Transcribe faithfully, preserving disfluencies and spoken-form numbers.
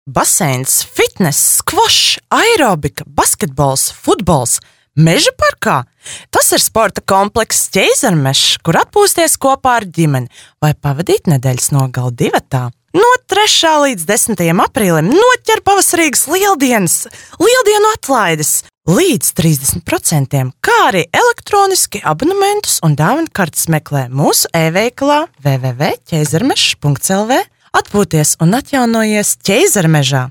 Baseins, fitness, skvošs, aerobika, basketbols, futbols, meža parkā. Tas ir sporta komplekss Ķeizarmežs, kur atpūsties kopā ar ģimeni vai pavadīt nedēļas nogali divatā. No trešā līdz desmitajam aprīlim noķer pavasarīgas lieldienas, lieldienu atlaides līdz trīsdesmit procentiem, kā arī elektroniski abonementus un dāvanu kartes meklē mūsu e-veikalā w w w punkts ķeizarmežs punkts l v. Atpūties un atjaunojies Ķeizarmežā!